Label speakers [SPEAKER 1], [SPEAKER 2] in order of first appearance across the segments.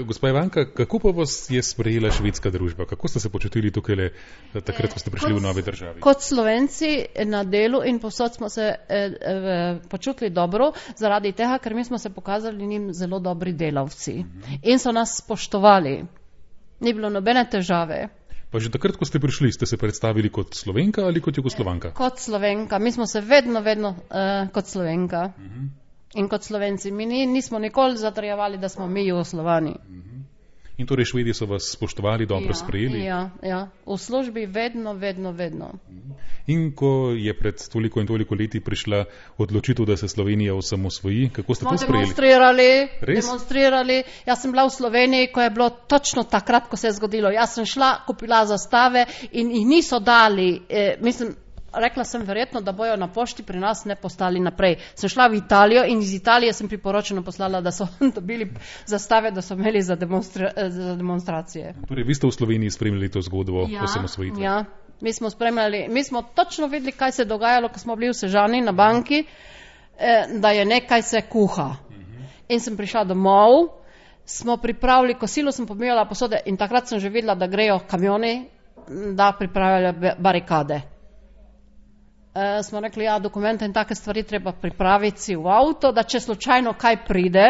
[SPEAKER 1] Gospa Ivanka, kako pa vas je sprejela švedska družba? Kako ste se počutili tukaj takrat, ko ste prišli v nove državi?
[SPEAKER 2] Kot Slovenci na delu in povsod smo se počutili dobro, zaradi tega, ker mi smo se pokazali njim zelo dobri delavci in so nas spoštovali. Ni bilo nobene težave.
[SPEAKER 1] Pa že takrat, ko ste prišli, ste se predstavili kot Slovenka ali kot Jugoslovanka?
[SPEAKER 2] Kot Slovenka. Mi smo se vedno kot Slovenka. In kot Slovenci. Mi nismo nikoli zatrjevali, da smo mi Jugoslovani.
[SPEAKER 1] In torej Švedi so vas spoštovali, dobro sprejeli?
[SPEAKER 2] Ja. V službi vedno.
[SPEAKER 1] In ko je pred toliko in toliko leti prišla odločitev, da se Slovenija osamosvoji, kako ste to sprejeli?
[SPEAKER 2] Demonstrirali. Jaz sem bila v Sloveniji, ko je bilo točno takrat, ko se je zgodilo. Jaz sem šla, kupila zastave in jih niso dali. Rekla sem verjetno, da bojo na pošti pri nas ne postali naprej. Sem šla v Italijo in iz Italije sem priporočeno poslala, da so dobili zastave, da so imeli za demonstracije.
[SPEAKER 1] Torej, vi ste v Sloveniji spremljali to zgodbo osamosvojitve?
[SPEAKER 2] Ja, mi smo spremljali. Mi smo točno videli, kaj se je dogajalo, ko smo bili v Sežani na banki, da je nekaj se kuha. In sem prišla domov, smo pripravili kosilo, sem pomijala posode in takrat sem že videla, da grejo kamioni, da pripravljajo barikade. Smo rekli, dokumente in take stvari treba pripraviti si v avto, da če slučajno kaj pride,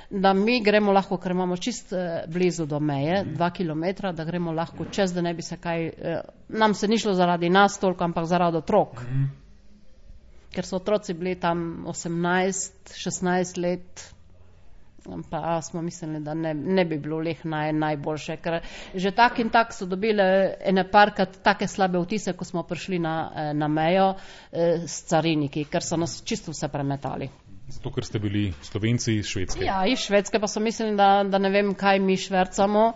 [SPEAKER 2] da mi gremo lahko, ker imamo čist blizu do meje, 2 kilometra, da gremo lahko čez, da ne bi se kaj, nam se ni šlo zaradi nas toliko, ampak zaradi otrok. Ker so otroci bili tam 18, 16 let, pa smo mislili, da ne bi bilo leh najboljše, ker že tak in tak so dobili ene parkrat take slabe vtise, ko smo prišli na mejo s cariniki, ker so nas čisto vse premetali.
[SPEAKER 1] Zato, ker ste bili Slovenci iz Švedske?
[SPEAKER 2] Ja, iz Švedske, pa so mislili, da ne vem, kaj mi švercamo.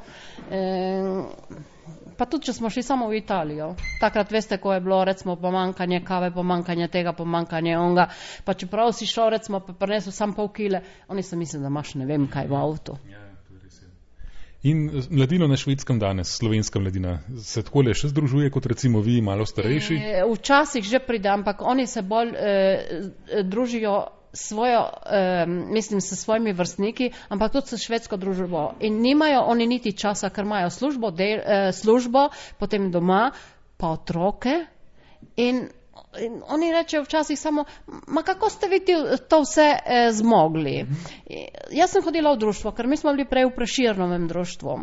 [SPEAKER 2] Pa tudi, če smo šli samo v Italijo. Takrat veste, ko je bilo recimo pomankanje kave, pomankanje tega, pomankanje onga, pa čeprav si šel recimo pa prinesel sam pol kile, oni so mislili, da imaš ne vem kaj v avtu.
[SPEAKER 1] In mladino na Švedskem danes, slovenska mladina, se takole še združuje kot recimo vi, malo starejši?
[SPEAKER 2] Včasih že pride, ampak oni se bolj družijo s svojimi vrstniki, ampak tudi s švedsko družbo. In nimajo oni niti časa, ker imajo službo, potem doma, pa otroke. In oni rečejo včasih samo, kako ste vi to vse zmogli? Jaz sem hodila v društvo, ker mi smo bili prej v Preširnovem društvu.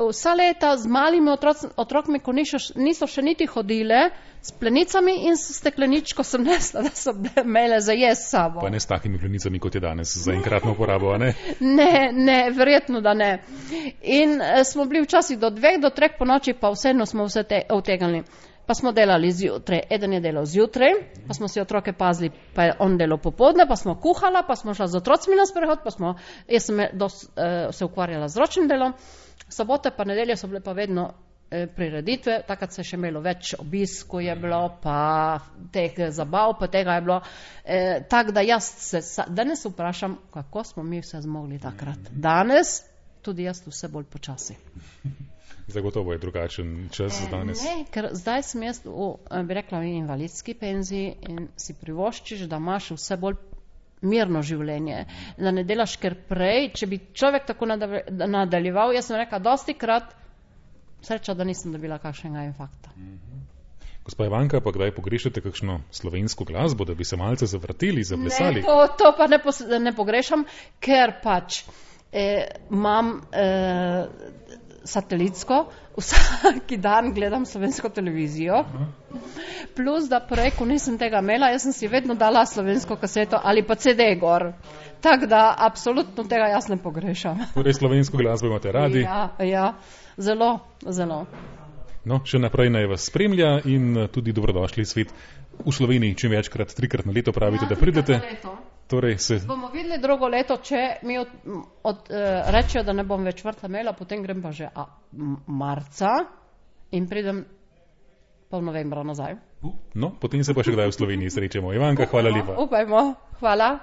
[SPEAKER 2] Vsa leta z malimi otrokmi, ko niso še niti hodile, s plenicami in s stekleničko sem nesla, da so imele za jesti s sabo.
[SPEAKER 1] Pa ne s takimi plenicami, kot je danes, za enkratno uporabo, a ne?
[SPEAKER 2] Ne, verjetno, da ne. In smo bili včasih do 2, do 3 po noči, pa vseeno smo vse utegnili. Pa smo delali zjutraj, eden je delal zjutraj, pa smo si otroke pazili, pa je on delal popoldne, pa smo kuhala, pa smo šla z otrocmi na sprehod, jaz sem se ukvarjala z ročnim delom, sobote pa nedelje so bile pa vedno prireditve, takrat se je še imelo več obiskov je bilo, pa teh zabav, pa tega je bilo. Tako da jaz se danes vprašam, kako smo mi vse zmogli takrat. Danes tudi jaz vse bolj počasi.
[SPEAKER 1] Zagotovo je drugačen čas danes.
[SPEAKER 2] Ne, ker zdaj sem jaz bi rekla v invalidski penziji in si privoščiš, da imaš vse bolj mirno življenje, da ne delaš ker prej, če bi človek tako nadaljeval, jaz sem rekla dosti krat, sreča, da nisem dobila kakšnega infarkta.
[SPEAKER 1] Gospa Ivanka, pa kdaj pogrešate kakšno slovensko glasbo, da bi se malce zavrteli, zaplesali?
[SPEAKER 2] Ne, to pa ne pogrešam, ker pač imam satelitsko, vsaki dan gledam slovensko televizijo, plus da prej, ko nisem tega imela, jaz sem si vedno dala slovensko kaseto ali pa CD gor. Tako da absolutno tega jaz ne pogrešam.
[SPEAKER 1] Torej slovensko glasbo imate radi?
[SPEAKER 2] Ja, zelo.
[SPEAKER 1] No, še naprej naj vas spremlja in tudi dobrodošli svet v Sloveniji, čim večkrat, 3-krat na leto pravite, da pridete. Torej
[SPEAKER 2] bomo videli drugo leto, če mi rečejo, da ne bom več vrtla imela, potem grem pa že marca in pridem pol novembra nazaj.
[SPEAKER 1] No, potem se pa še kdaj v Sloveniji srečemo. Ivanka, hvala lepa.
[SPEAKER 2] Upajmo, hvala.